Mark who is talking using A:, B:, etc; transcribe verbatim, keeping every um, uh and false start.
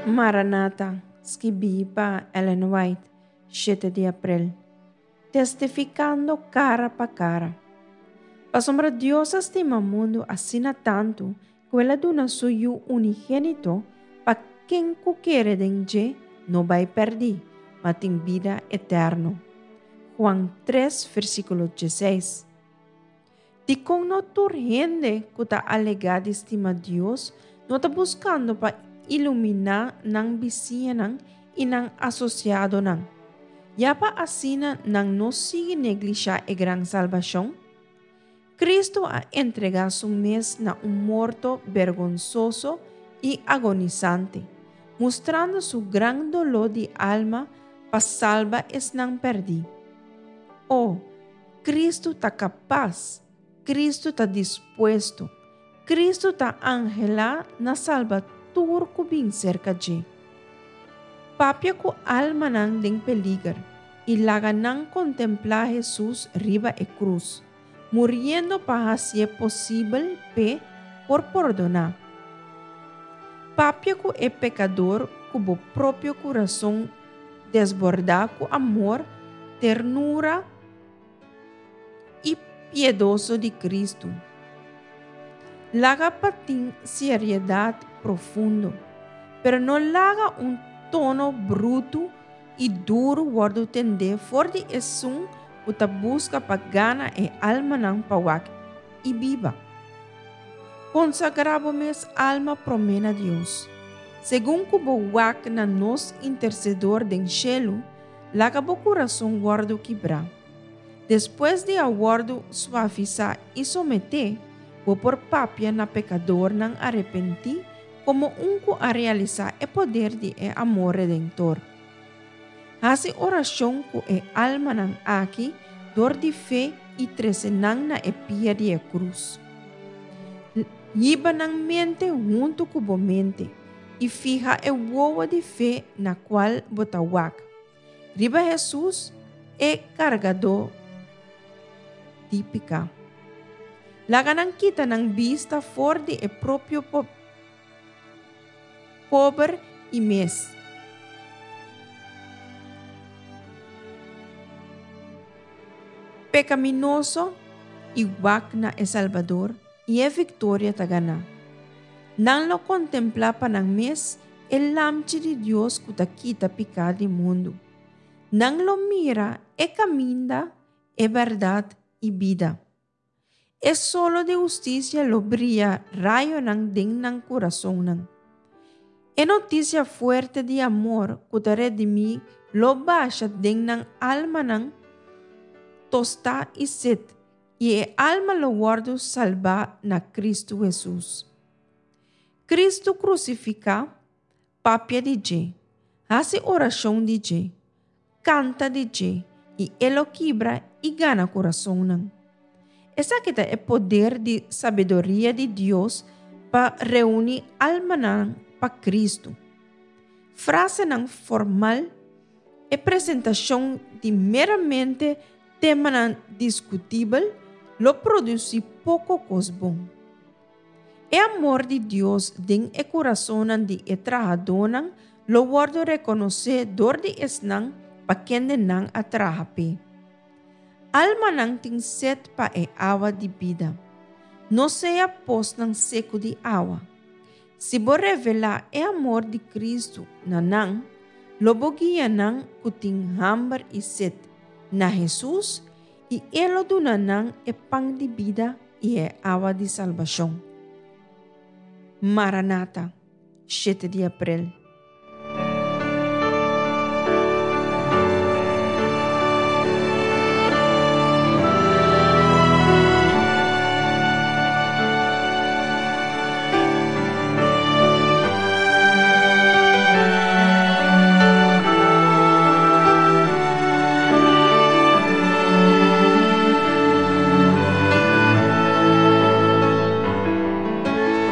A: Maranata, skibí pa Ellen White, shete di aprel. Testifikando kara pa kara. Pasobra Dios a stima mundu asina tantu ku el a duna su Yu unigénito pa ken ku kere den dje no bai pèrdí, ma tin bida eterno. Juan tres, versíkulo diesseis. Dikon no tur hende ku ta alegá di stima Dios no ta buskando pa iluminá nan bisiñanan i nan asosiadonan, ya pa asina nan no sigui neglishá e gran salbashon? Kristu a entregá su mes na un morto bergonsoso i agonisante, mustrando su gran doló di alma pa salba esnan pèrdí. O, Kristu ta kapas, Kristu ta dispuesto, Kristu ta anhelá na salba tur ku bin serka dje. Papia ku almanan den peliger i laga nan kontemplá Hesus riba e krus, muriendo pa hasié posibel p'e por pordoná. Papia ku e pekador ku bo propio kurason desbordá ku amor, ternura i piedoso di Kristu. Laga pa tin seriedat profundo, pero no laga un tono brutu i duru wòrdu tendé for di esun ku ta buska pa gana e almanan pa wak i biba. Konsagrá bo mes alma promé na Dios. Segun ku bo wak na nos Intersedor den shelu, laga bo kurason wòrdu kibrá. Despues di a wòrdu suavisá i someté, bo por papia na pekadornan arepentí komo un ku a realisá e poder di e amor redentor. Hasi orashon ku e almanan aki dor di fe i trese nan na e pia di e krus. Hiba nan mente huntu ku bo mente i fiha e wowo di fe na kual bo ta wak riba Hesus, e kargadó di piká. Laga nan kita nan bista for di e propio pober i mes. Pekaminoso i wak na e Salbador i e viktoria ta ganá. Nan lo kontemplá pa nan mes e Lamchi di Dios ku ta kita piká di mundu. Nan lo mira e kaminda, e bèrdat i bida. E solo di hustisia lo bria rayonan den nan kurasonnan. E notisia fuerte di amor ku ta redimí lo basha den nan almanan tostá i set, i e alma lo wòrdu salbá na Kristu Hesus. Kristu krusifiká, papia di dje, hasi orashon di dje, kanta di dje, i e lo kibra i gana kurasonnan. Esaki ta e poder di sabiduria di Dios pa reuní almanan pa Kristu. Frasenan formal, e presentashon di meramente temanan diskutibel lo produsí poko kos bon. E amor di Dios den e kurasonnan di e trahadónan lo wòrdu rekonosé dor di esnan pa kende nan a traha p'e. Almanan tin set pa e awa di bida. No sea posnan seku di awa. Si bo revelá e amor di Kristu na nan, lo bo guia nan ku tin hamber i set na Hesus i E lo duna nan e pan di bida i e awa di salbashon. Maranata, shete di aprel.